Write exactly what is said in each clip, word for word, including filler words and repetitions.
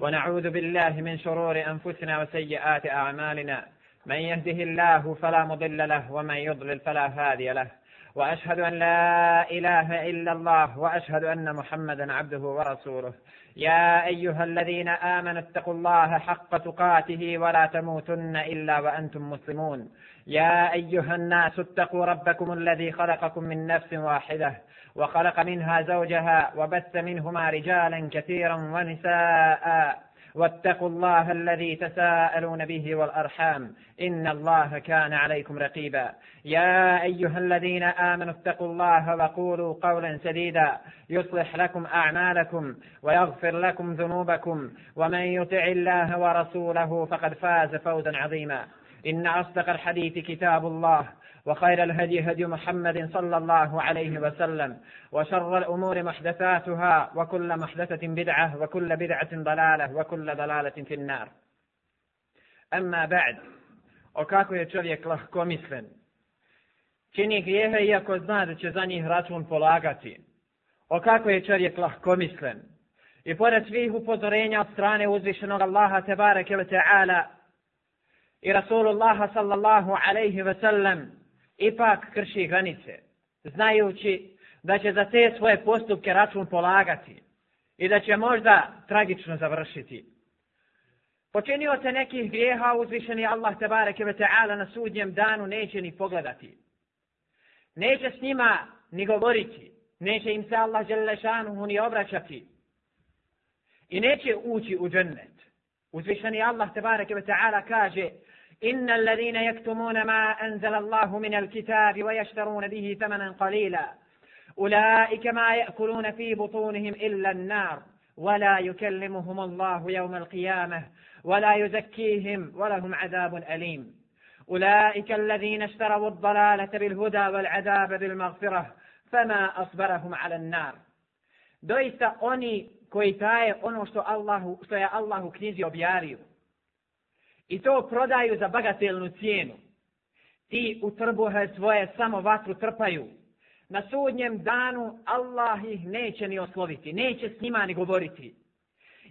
ونعوذ بالله من شرور أنفسنا وسيئات أعمالنا من يهده الله فلا مضل له ومن يضلل فلا هادي له وأشهد أن لا إله إلا الله وأشهد أن محمدا عبده ورسوله يا أيها الذين آمنوا اتقوا الله حق تقاته ولا تموتن إلا وأنتم مسلمون يا أيها الناس اتقوا ربكم الذي خلقكم من نفس واحدة وخلق منها زوجها وبث منهما رجالا كثيرا ونساء واتقوا الله الذي تساءلون به والأرحام إن الله كان عليكم رقيبا يا أيها الذين آمنوا اتقوا الله وقولوا قولا سديدا يصلح لكم أعمالكم ويغفر لكم ذنوبكم ومن يطع الله ورسوله فقد فاز فوزا عظيما إن أصدق الحديث كتاب الله وخير الهدي هدي محمد صلى الله عليه وسلم وشر الأمور محدثاتها وكل محدثة بدعة وكل بدعة ضلالة وكل ضلالة في النار. أما بعد, o kako je čovjek lahkomislen, čini grijehe iako zna da će za njih račun polagati. O kako je čovjek lahkomislen i pored svih upozorenja od strane uzvišenog Allaha tebareke ve ta'ala i Rasulullaha sallallahu alaihi ve sellem ipak krši granice, znajući da će za te svoje postupke račun polagati i da će možda tragično završiti. Počinio se nekih grijeha, uzvišeni Allah tebareke ve ta'ala na sudnjem danu neće ni pogledati. Neće s njima ni govoriti, neće im se Allah dželle šanuhu ni obraćati i neće ući u džennet. Uzvišeni Allah tebareke ve ta'ala kaže: إن الذين يكتمون ما أنزل الله من الكتاب ويشترون به ثمنا قليلا أولئك ما يأكلون في بطونهم إلا النار ولا يكلمهم الله يوم القيامة ولا يزكيهم ولهم عذاب أليم أولئك الذين اشتروا الضلالة بالهدى والعذاب بالمغفرة فما أصبرهم على النار. Doista oni koji taje ono što Allahu, što je Allah u knjizi objavio i to prodaju za bagatelnu cijenu, ti u trbuhe svoje samo vatru trpaju. Na sudnjem danu Allah ih neće ni osloviti, neće s njima ni govoriti,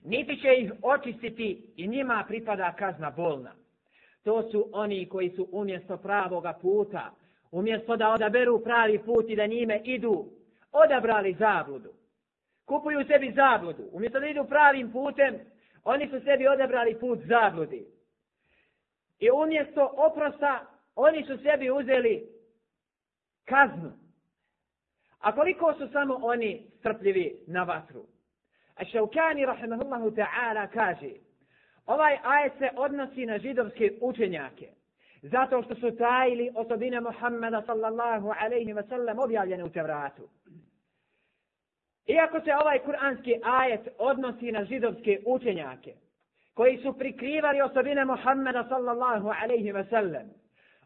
niti će ih očistiti i njima pripada kazna bolna. To su oni koji su umjesto pravoga puta, umjesto da odaberu pravi put i da njime idu, odabrali zabludu. Kupuju sebi zabludu. Umjesto da idu pravim putem, oni su sebi odabrali put zabludi. I umjesto oprosta, oni su sebi uzeli kaznu. A koliko su samo oni strpljivi na vatru? A Šaukani rahimahullahu ta'ala kaže, ovaj ajet se odnosi na židovske učenjake, zato što su tajili osobine Muhammeda sallallahu alaihi wa sallam objavljene u Tevratu. Iako se ovaj kuranski ajet odnosi na židovske učenjake, koji su prikrivali osobine Muhammeda sallallahu alaihi wa sallam,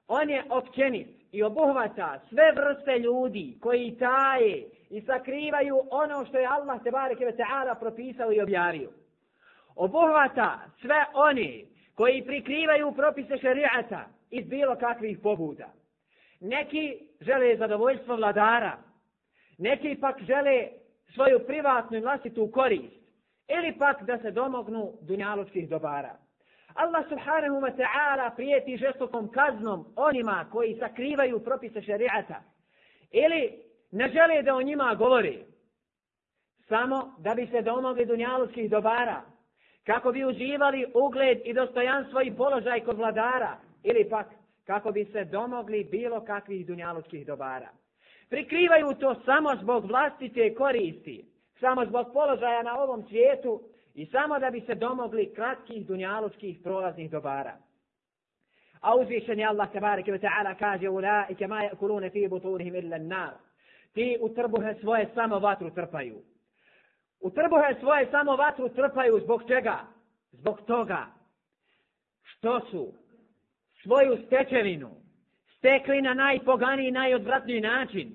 on je općenit i obuhvata sve vrste ljudi koji taje i sakrivaju ono što je Allah tebareke ve ta'ala propisao i objavio. Obuhvata sve oni koji prikrivaju propise šerijata iz bilo kakvih pobuda. Neki žele zadovoljstvo vladara, neki pak žele svoju privatnu i vlastitu korist, ili pak da se domognu dunjalučkih dobara. Allah subhanahu wa ta'ala prijeti žestokom kaznom onima koji sakrivaju propise šerijata ili ne žele da o njima govori, samo da bi se domogli dunjalučkih dobara, kako bi uživali ugled i dostojanstvo i položaj kod vladara, ili pak kako bi se domogli bilo kakvih dunjalučkih dobara. Prikrivaju to samo zbog vlastite koristi, samo zbog položaja na ovom svijetu i samo da bi se domogli kratkih dunjalučkih prolaznih dobara. A uzvišeni Allah tebareke ve ta'ala kaže: Ulaike ma yakulune fi butunihim illa an-nar. Ti u trbuhe svoje samo vatru trpaju. U trbuhe svoje samo vatru trpaju zbog čega? Zbog toga što su svoju stečevinu stekli na najpoganiji, najodvratniji način.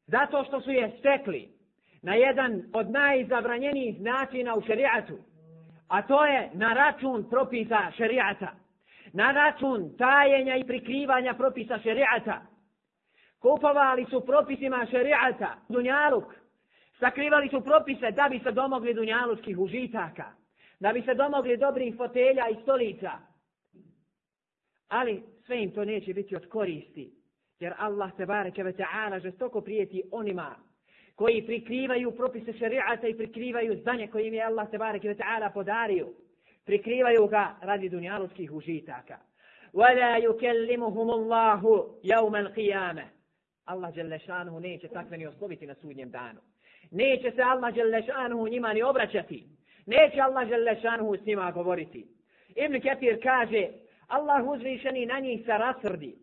Zato što su je stekli na jedan od najzabranjenijih načina u šerijatu, a to je na račun propisa šerijata, na račun tajenja i prikrivanja propisa šerijata. Kupovali su propisima šerijata dunjaluk, Sakrivali su propise da bi se domogli dunjalučkih užitaka, da bi se domogli dobrih fotelja i stolica. Ali sve im to neće biti od koristi, jer Allah tebareke ve ta'ala žestoko prijeti onima koji prikrivaju propise šerijata i prikrivaju znanje koje im je Allah tebareke ve ta'ala podario. Prikrivaju ga radi dunjalučkih užitaka. وَلَا يُكَلِّمُهُمُ اللَّهُ يَوْمَ الْقِيَامَةِ Allah dželešanuhu neće takve ni osloviti na sudnjem danu. Neće se Allah dželešanuhu njima ni obraćati. Neće Allah dželešanuhu s njima govoriti. Ibn Kathir kaže, Allah uzvišeni na njih se rasrdi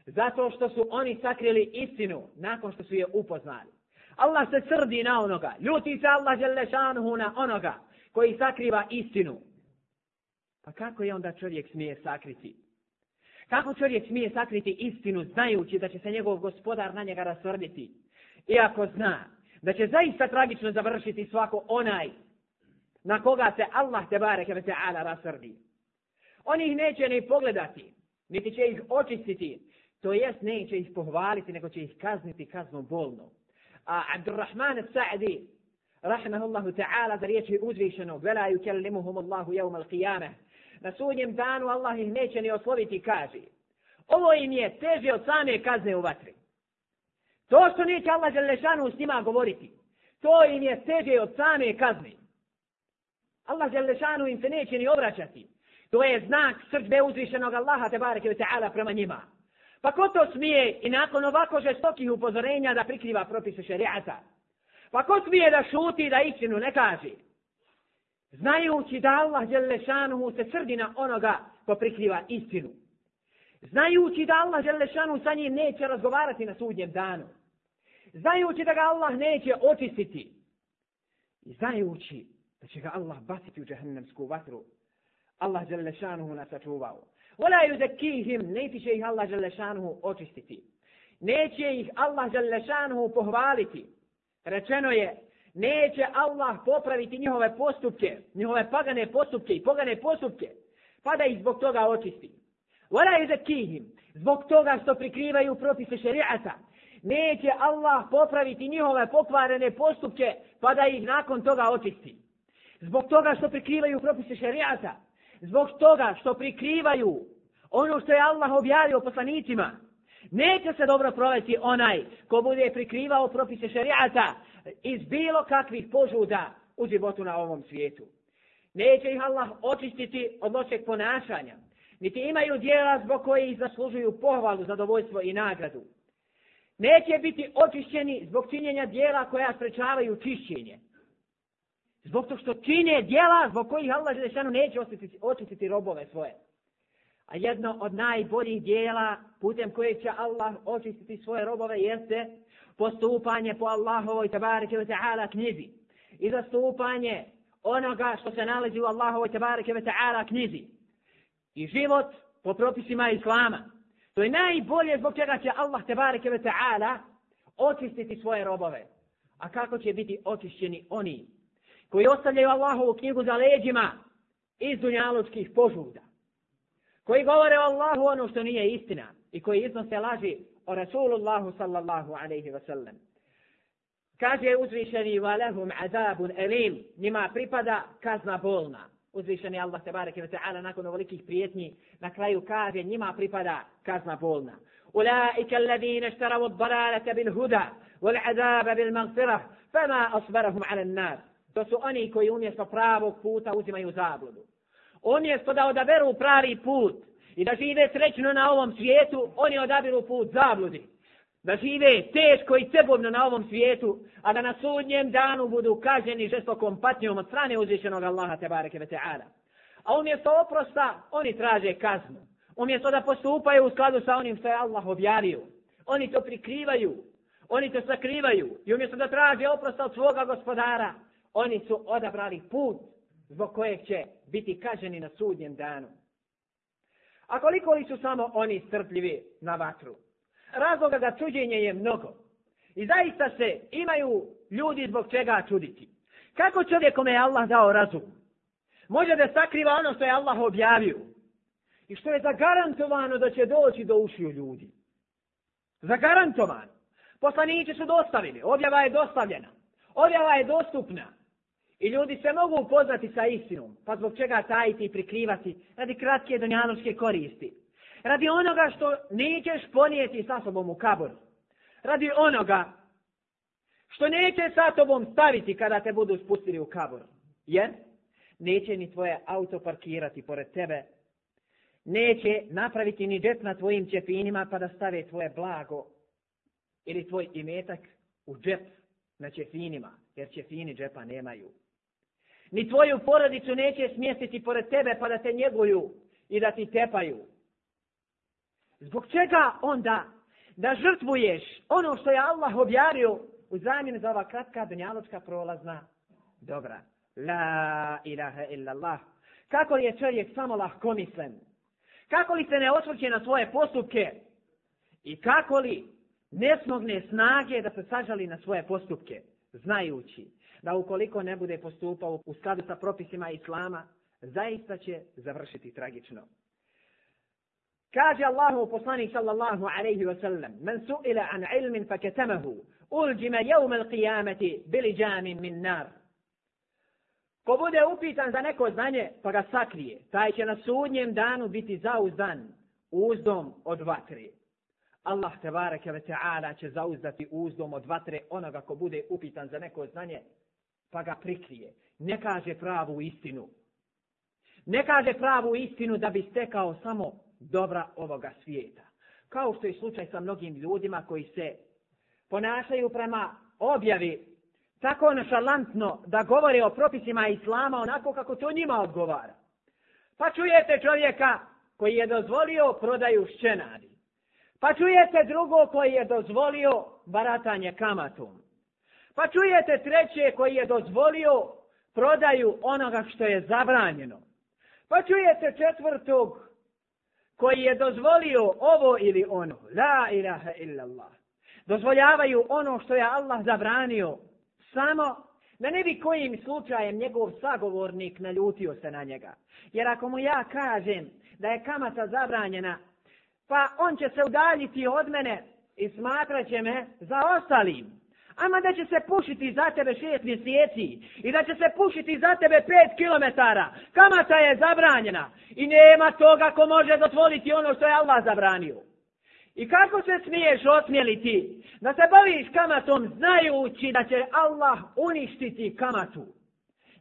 zato što su oni sakrili istinu nakon što su je upoznali. Allah se srdi na onoga, ljuti se Allah dželešanuhu na onoga koji sakriva istinu. Pa kako je onda čovjek smije sakriti? Kako čovjek smije sakriti istinu znajući da će se njegov gospodar na njega rasrditi? Iako zna da će zaista tragično završiti svako onaj na koga se Allah tebareke ve ta'ala rasrdi. Oni ih neće ni pogledati, niti će ih očistiti, to jest neće ih pohvaliti, nego će ih kazniti kaznom bolnom. A Abdurrahman as-Sa'di, rahimahullahu ta'ala, za riječi uzvišenog, vela yukellimuhum Allahu yawm al-qiyamah, na sudnjem danu Allah ih neće ni osloviti, kaže, ovo im je teže od same kazne u vatri. To što neće Allah dželešanu s njima govoriti, to im je teže od same kazne. Allah dželešanu im se neće ni obraćati. To je znak srdbe uzvišenog Allaha tebareke ve ta'ala prema njima. Pa ko to smije i nakon ovako žestokih upozorenja da prikriva propise šerijata? Pa ko smije da šuti da istinu ne kaže? Znajući da Allah dželešanuhu se srdi na onoga ko prikriva istinu. Znajući da Allah dželešanuhu sa njim neće razgovarati na sudnjem danu. Znajući da ga Allah neće očistiti. I znajući da će ga Allah baciti u džehennemsku vatru. Allah dželešanuhu nas sačuvao. Wala yuzakkihim, neće će ih Allah dželešanuhu očistiti. Neće ih Allah dželešanuhu pohvaliti. Rečeno je, neće Allah popraviti njihove postupke, njihove pagane postupke i pogane postupke, pa da ih zbog toga očisti. Wala yuzakkihim, zbog toga što prikrivaju propise šerijata, neće Allah popraviti njihove pokvarene postupke, pa da ih nakon toga očisti. Zbog toga što prikrivaju propise šerijata, zbog toga što prikrivaju ono što je Allah objavio poslanicima, neće se dobro provesti onaj ko bude prikrivao propise šerijata iz bilo kakvih požuda u životu na ovom svijetu. Neće ih Allah očistiti od lošeg ponašanja, niti imaju djela zbog kojih zaslužuju pohvalu, zadovoljstvo i nagradu. Neće biti očišćeni zbog činjenja djela koja sprečavaju čišćenje. Zbog to što čine djela zbog kojih Allah dželešanu neće očistiti, očistiti robove svoje. A jedno od najboljih djela putem kojeg će Allah očistiti svoje robove jeste postupanje po Allahovoj tebareke ve ta'ala knjizi i zastupanje onoga što se nalazi u Allahovoj tebareke ve ta'ala knjizi i život po propisima Islama. To je najbolje zbog čega će Allah tebareke ve ta'ala očistiti svoje robove. A kako će biti očišćeni oni koji ostavljaju Allahovu knjigu za leđima iz dunjalučkih požuda, koji govore o Allahu ono što nije istina i koji iznose laži o Rasulullahu sallallahu alaihi wa sallam. Kaže uzvišeni وَلَهُمْ عَذَابٌ أَلِيمٌ, njima pripada kazna bolna. Uzvišeni Allah tebareke ve ta'ala nakon ovolikih prijetnji na kraju kaže njima pripada kazna bolna. أُولَٰئِكَ الَّذِينَ اشْتَرَوُا الضَّلَالَةَ بِالْهُدَى وَالْعَذَابَ بِالْمَغْفِرَةِ فَمَا أَصْبَرَهُمْ عَلَى النَّارِ. To su oni koji umjesto pravog puta uzimaju zabludu. Umjesto da odaberu pravi put i da žive srećno na ovom svijetu, oni odabiru put zabludi. Da žive teško i cebovno na ovom svijetu, a da na sudnjem danu budu kažnjeni žestokom patnjom od strane uzvišenog Allaha tebareke ve ta'ala. A umjesto oprosta, oni traže kaznu. Umjesto da postupaju u skladu sa onim što je Allah objavio, oni to prikrivaju, oni to sakrivaju. I umjesto da traže oprosta od svoga gospodara, oni su odabrali put zbog kojeg će biti kažnjeni na sudnjem danu. A koliko li su samo oni strpljivi na vatru? Razloga za čuđenje je mnogo. I zaista se imaju ljudi zbog čega čuditi. Kako čovjek kome je Allah dao razum može da sakriva ono što je Allah objavio i što je zagarantovano da će doći do ušiju ljudi? Zagarantovano. Poslanici su dostavili, objava je dostavljena. Objava je dostupna. I ljudi se mogu upoznati sa istinom. Pa zbog čega tajiti i prikrivati? Radi kratke dunjalučke koristi. Radi onoga što nećeš ponijeti sa sobom u kabor. Radi onoga što neće sa tobom staviti kada te budu spustili u kabor. Jer neće ni tvoje auto parkirati pored tebe. Neće napraviti ni džep na tvojim ćefinima pa da stave tvoje blago ili tvoj imetak u džep na ćefinima, jer ćefini džepa nemaju. Ni tvoju porodicu neće smjestiti pored tebe pa da te njeguju i da ti tepaju. Zbog čega onda da žrtvuješ ono što je Allah objavio u zamjenu za ova kratka dunjalučka prolazna dobra? La ilaha illallah. Kako li je čovjek samo lahkomislen? Kako li se ne osvrće na svoje postupke? I kako li ne smogne snage da se sažali na svoje postupke? Znajući da ukoliko ne bude postupao u skladu sa propisima Islama, zaista će završiti tragično. Kaže Allahu poslanik sallallahu alejhi ve sellem: "Men su'ila an ilmin fakatamahu, uljima yawm al-qiyamati bilijamin min nar." Ko bude upitan za neko znanje pa ga sakrije, taj će na sudnjem danu biti zauzdan uzdom od vatre. Allah tebareke ve ta'ala će zauzdati uzdom od vatre onoga ko bude upitan za neko znanje pa ga prikrije. Ne kaže pravu istinu. Ne kaže pravu istinu da bi stekao samo dobra ovoga svijeta. Kao što je slučaj sa mnogim ljudima koji se ponašaju prema objavi tako nonšalantno da govore o propisima Islama onako kako to njima odgovara. Pa čujete čovjeka koji je dozvolio prodaju šćenadi. Pa čujete drugo koji je dozvolio baratanje kamatom. Pa čujete treće koji je dozvolio prodaju onoga što je zabranjeno. Pa čujete četvrtog koji je dozvolio ovo ili ono. La ilaha illallah. Dozvoljavaju ono što je Allah zabranio. Samo da ne bi kojim slučajem njegov sagovornik naljutio se na njega. Jer ako mu ja kažem da je kamata zabranjena, pa on će se udaljiti od mene i smatrat će me za ostalim. Ama da će se pušiti za tebe šest mjeseci i da će se pušiti za tebe pet kilometara. Kamata je zabranjena i nema toga ko može dozvoliti ono što je Allah zabranio. I kako se smiješ osmjeliti da se baviš kamatom znajući da će Allah uništiti kamatu?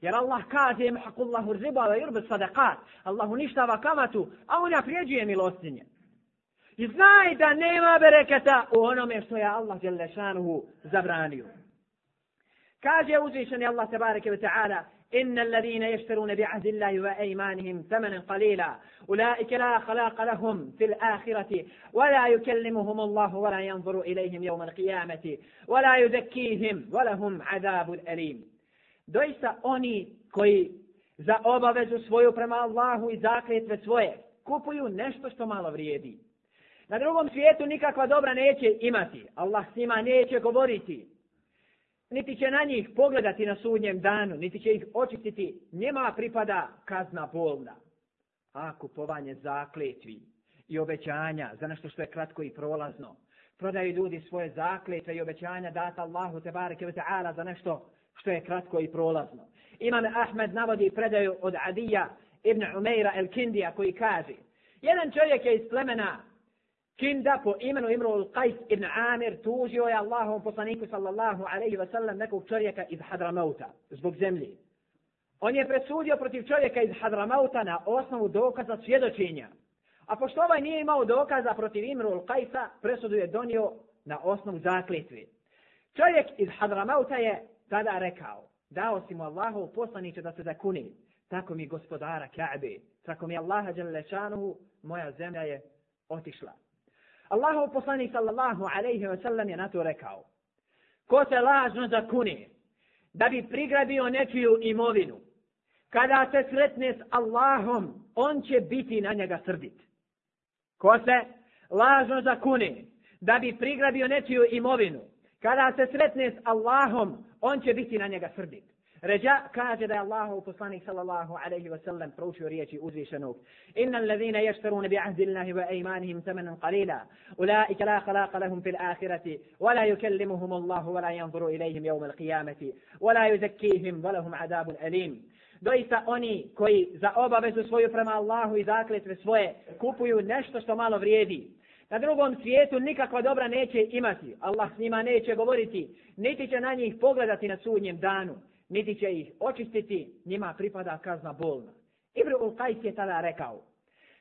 Jer Allah kaže mahaqullahu riba wa yurbi sadaqat. Allah uništava kamatu, a on naprijeđuje milostinje. I znaj da nema bereketa u onome što je Allah dželle šanuhu zabranio. Kaže uzvišeni Allah tebareke ve ta'ala: "Inna alladhina yashtaruna bi'ahdi Allahi wa aymanihim thamanan qalila, ulaika la khalaqa lahum fil akhirati, wa la yukallimuhum Allah wa la yanzuru ilayhim yawm al-qiyamati, wa la yuzakkihim wa lahum 'adabun alim." Doista oni koji za obavezu svoju prema Allahu i zakletve svoje kupuju nešto što malo vrijedi. Na drugom svijetu nikakva dobra neće imati. Allah s njima neće govoriti. Niti će na njih pogledati na sudnjem danu, niti će ih očistiti. Njima pripada kazna bolna. A kupovanje zakletvi i obećanja za nešto što je kratko i prolazno. Prodaju ljudi svoje zakletve i obećanja data Allahu tebareke ve ta'ala za nešto što je kratko i prolazno. Imam Ahmed navodi predaju od Adija ibn Umeira el-Kindija koji kaže: jedan čovjek je iz plemena Kinda po imenu Imrul Qajs ibn Amir tužio je Allahovom poslaniku sallallahu alaihi wa sallam nekog čovjeka iz Hadramauta zbog zemlji. On je presudio protiv čovjeka iz Hadramauta na osnovu dokaza svjedočenja. A pošto ovaj nije imao dokaza protiv Imrul Qajsa, presudu je donio na osnovu zakletve. Čovjek iz Hadramauta je tada rekao: dao si mu Allahov poslaniče da se zakuni, tako mi gospodara Ka'be, tako mi Allaha dželle šanuhu, moja zemlja je otišla. Allahov poslanik sallallahu alejhi ve sellem je na to rekao: ko se lažno zakune da bi prigrabio nečiju imovinu, kada se sretne s Allahom, on će biti na njega srdit. Ko se lažno zakune da bi prigrabio nečiju imovinu, kada se sretne s Allahom, on će biti na njega srdit. Ređa kaže da je Allahov poslanik sallallahu alejhi ve sellem proučio riječi uzvišenog: Inna allazina yashtaruna bi ahdi Allahi wa aymanihim thamanan qalila ulaika la khalaqa lahum fil akhirati wa la yukallimuhum Allahu wa la yanzuru ilayhim yawm al-qiyamati wa la yuzakkihim wa lahum adabun alim. Doista oni koji za obavezu svoju prema Allahu i zakletve svoje kupuju nešto što malo vrijedi, na drugom svijetu nikakva dobra neće imati. Allah s njima neće govoriti, niti će na njih pogledati na sudnjem danu, niti će ih očistiti, njima pripada kazna bolna. Imru'ul Qajs je tada rekao: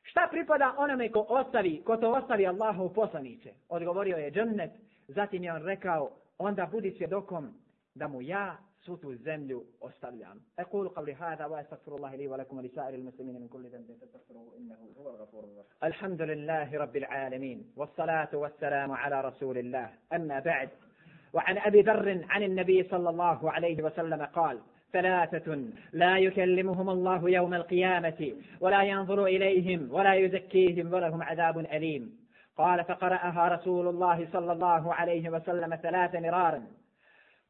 šta pripada onome ko ostavi, ko to ostavi Allahov poslanice? Odgovorio je džennet. Zatim je on rekao: onda budi svjedokom da mu ja svu tu zemlju ostavljam. Aqulu qavli hada wa astaghfirullaha li wa lakum wa li sa'iril muslimina min kulli dhanbin fastaghfiruhu innahu huwal ghafurur rahim. Alhamdulillahi rabbil alamin was salatu was salamu ala rasulillah. Amma ba'd. وعن أبي ذر عن النبي صلى الله عليه وسلم قال: ثلاثة لا يكلمهم الله يوم القيامة ولا ينظر إليهم ولا يزكيهم ولهم عذاب أليم. قال: فقرأها رسول الله صلى الله عليه وسلم ثلاث مرارا.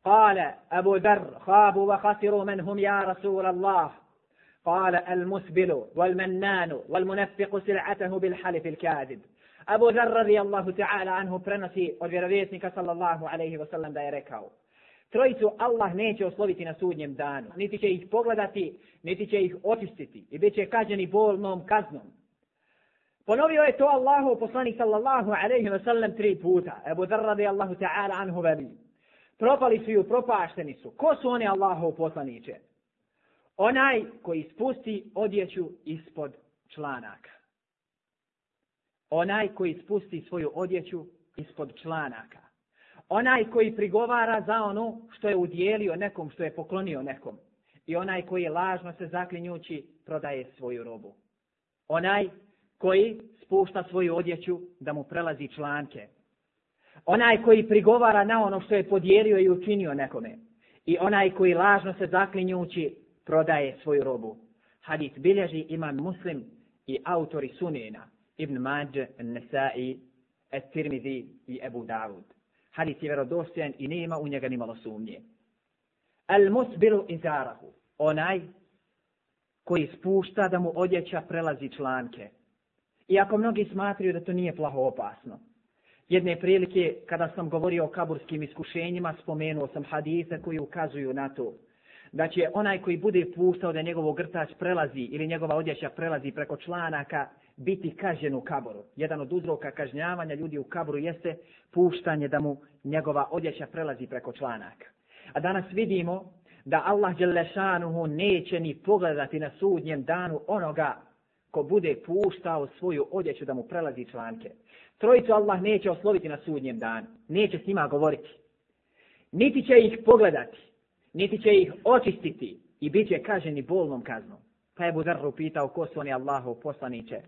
قال أبو ذر: خابوا وخسروا من هم يا رسول الله؟ قال: المسبل والمنان والمنفق سلعته بالحلف الكاذب. Abu Dharr radijallahu ta'ala anhu prenosi od vjerovjesnika sallallahu alejhi ve sellem da je rekao: trojicu Allah neće osloviti na sudnjem danu, niti će ih pogledati, niti će ih očistiti i bit će kažnjeni bolnom kaznom. Ponovio je to Allahov poslanik sallallahu alejhi ve sellem tri puta. Abu Dharr radijallahu ta'ala anhu veli: propali su i upropašteni su. Ko su oni, Allahov poslaniče? Onaj koji spusti odjeću ispod članaka. Onaj koji spusti svoju odjeću ispod članaka. Onaj koji prigovara za ono što je udjelio nekom, što je poklonio nekom. I onaj koji lažno se zaklinjući prodaje svoju robu. Onaj koji spušta svoju odjeću da mu prelazi članke. Onaj koji prigovara na ono što je podijelio i učinio nekome. I onaj koji lažno se zaklinjući prodaje svoju robu. Hadis bilježi imam Muslim i autori Sunena: Ibn Mađe, Nesai, At-Tirmidhi i Ebu Davud. Hadis je vjerodostojan i nema u njega ni malo sumnje. Al-musbilu izarahu, onaj koji spušta da mu odjeća prelazi članke. Iako mnogi smatraju da to nije plaho opasno. Jedne prilike, kada sam govorio o kaburskim iskušenjima, spomenuo sam hadise koji ukazuju na to da će onaj koji bude puštao da njegov grtač prelazi ili njegova odjeća prelazi preko članaka biti kažnjen u kaboru. Jedan od uzroka kažnjavanja ljudi u kaboru jeste puštanje da mu njegova odjeća prelazi preko članaka. A danas vidimo da Allah dželle šanuhu neće ni pogledati na sudnjem danu onoga ko bude puštao svoju odjeću da mu prelazi članke. Trojicu Allah neće osloviti na sudnjem danu. Neće s njima govoriti. Niti će ih pogledati, niti će ih očistiti i bit će kažnjeni bolnom kaznom. Pa je Abu Dharr upitao: ko su oni, Allahov poslaniče?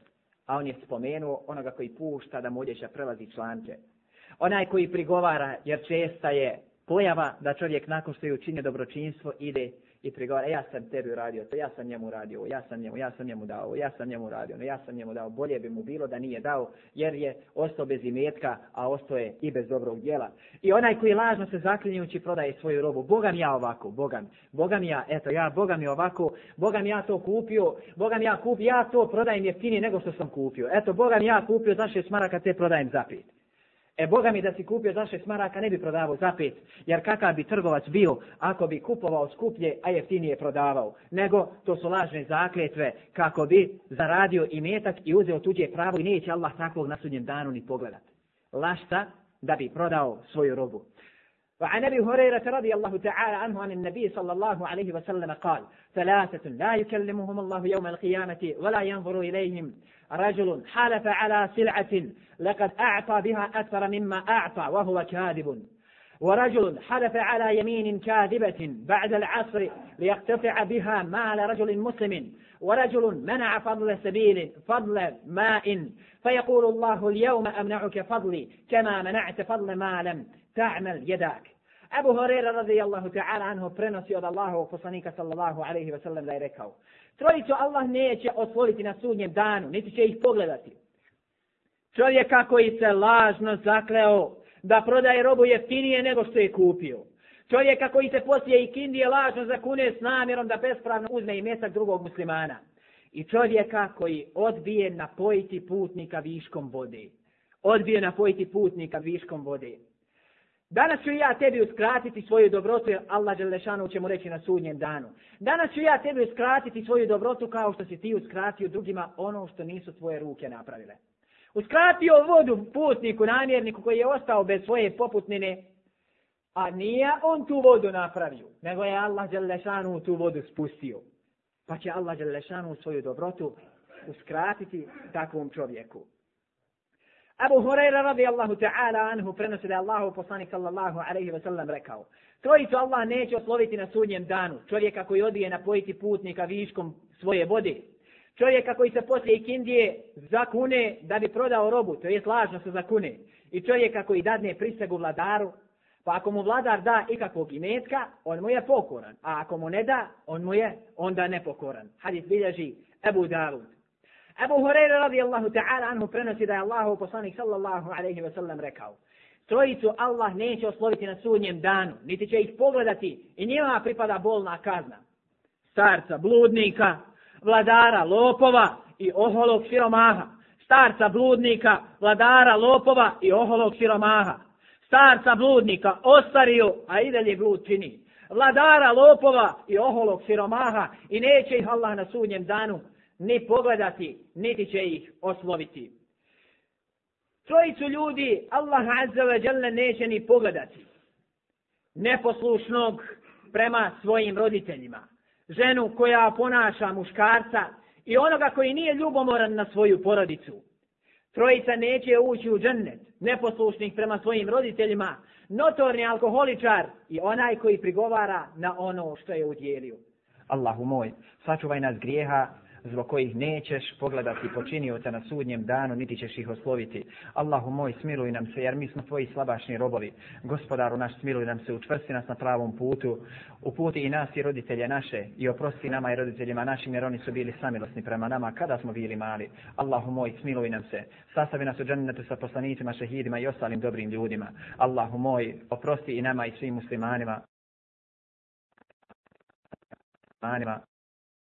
A on je spomenuo onoga koji pušta da mu odjeća prelazi članke. Onaj koji prigovara, jer česta je pojava da čovjek nakon što je učinio dobročinstvo ide i prigovara: ja sam tebi uradio to, ja sam njemu uradio, ja sam njemu, ja sam njemu dao, ja sam njemu uradio, no ja sam njemu dao. Bolje bi mu bilo da nije dao, jer je ostao bez imetka, a ostao je i bez dobrog djela. I onaj koji lažno se zaklinjući prodaje svoju robu: Boga mi ja ovako, Boga mi, Boga mi ja, eto ja, Boga mi ovako, Boga mi ja to kupio, Boga mi ja kupio, ja to prodajem jeftinije nego što sam kupio. Eto, Boga mi ja kupio za šest maraka, te prodajem za pet. E, Boga mi da si kupio za šest maraka ne bi prodavao za pet, jer kakav bi trgovac bio ako bi kupovao skuplje, a jeftinije prodavao. Nego to su lažne zakletve kako bi zaradio imetak i uzeo tuđe pravo i neće Allah takvog na sudnjem danu ni pogledati. Lašta da bi prodao svoju robu. وعن أبي هريرة رضي الله تعالى عنه عن النبي صلى الله عليه وسلم قال: ثلاثة لا يكلمهم الله يوم القيامة ولا ينظر إليهم: رجل حلف على سلعة لقد أعطى بها أكثر مما أعطى وهو كاذب، ورجل حلف على يمين كاذبة بعد العصر ليقتطع بها مال رجل مسلم، ورجل منع فضل سبيل فضل ماء فيقول الله: اليوم أمنعك فضلي كما منعت فضل ما لم تعمل يداك. Abu Hurajra radijallahu ta'ala anhu prenosi od Allahovog poslanika sallallahu alejhi ve sellem da je rekao: trojicu Allah neće osloviti na sudnjem danu, niti će ih pogledati. Čovjeka koji se lažno zakleo da prodaje robu jeftinije nego što je kupio. Čovjeka koji se poslije ikindije lažno zakune s namjerom da bespravno uzme i mjetak drugog muslimana. I čovjeka koji odbije napojiti putnika viškom vode. Odbije napojiti putnika viškom vode. Danas ću ja tebi uskratiti svoju dobrotu, jer Allah dželešanu će mu reći na sudnjem danu. Danas ću ja tebi uskratiti svoju dobrotu kao što si ti uskratio drugima ono što nisu tvoje ruke napravile. Uskratio vodu putniku, namjerniku koji je ostao bez svoje poputnine, a nije on tu vodu napravio, nego je Allah dželešanu tu vodu spustio. Pa će Allah dželešanu svoju dobrotu uskratiti takvom čovjeku. Abu Hurajra radijallahu ta'ala anhu prenosi da je Allahu poslanik sallallahu alejhi ve sellem rekao: trojicu Allah neće osloviti na sudnjem danu, čovjeka koji odbije napojiti putnika viškom svoje vode, čovjeka koji se poslije ikindije zakune da bi prodao robu, to jest lažno se zakune, i čovjeka koji dadne prisegu vladaru, pa ako mu vladar da ikakvog imetka, on mu je pokoran, a ako mu ne da, on mu je onda nepokoran. Hadis bilježi Ebu Davud. Abu Hurajra radijallahu ta'ala anhu prenosi da je Allahu poslanik sallallahu alejhi ve sellem rekao: trojicu Allah neće osloviti na sudnjem danu, niti će ih pogledati i njima pripada bolna kazna. Starca, bludnika, vladara, lopova i oholog siromaha. Starca, bludnika, vladara, lopova i oholog siromaha. Starca, bludnika, ostario, a i dalje blud čini. Vladara, lopova i oholog siromaha, i neće ih Allah na sudnjem danu ni pogledati, niti će ih osloviti. Trojicu ljudi Allah azza wa jalla neće ni pogledati. Neposlušnog prema svojim roditeljima, ženu koja ponaša muškarca i onoga koji nije ljubomoran na svoju porodicu. Trojica neće ući u džennet, neposlušnih prema svojim roditeljima, notorni alkoholičar i onaj koji prigovara na ono što je udjelio. Allahu moj, sačuvaj nas grijeha zbog kojih nećeš pogledati počinioca na sudnjem danu, niti ćeš ih osloviti. Allahu moj, smiluj nam se, jer mi smo tvoji slabašni robovi. Gospodaru naš, smiluj nam se, učvrsti nas na pravom putu, uputi i nas i roditelje naše, i oprosti nama i roditeljima našim, jer oni su bili samilosni prema nama kada smo bili mali. Allahu moj, smiluj nam se, sastavi nas u džennetu sa poslanicima, šehidima i ostalim dobrim ljudima. Allahu moj, oprosti i nama i svim muslimanima.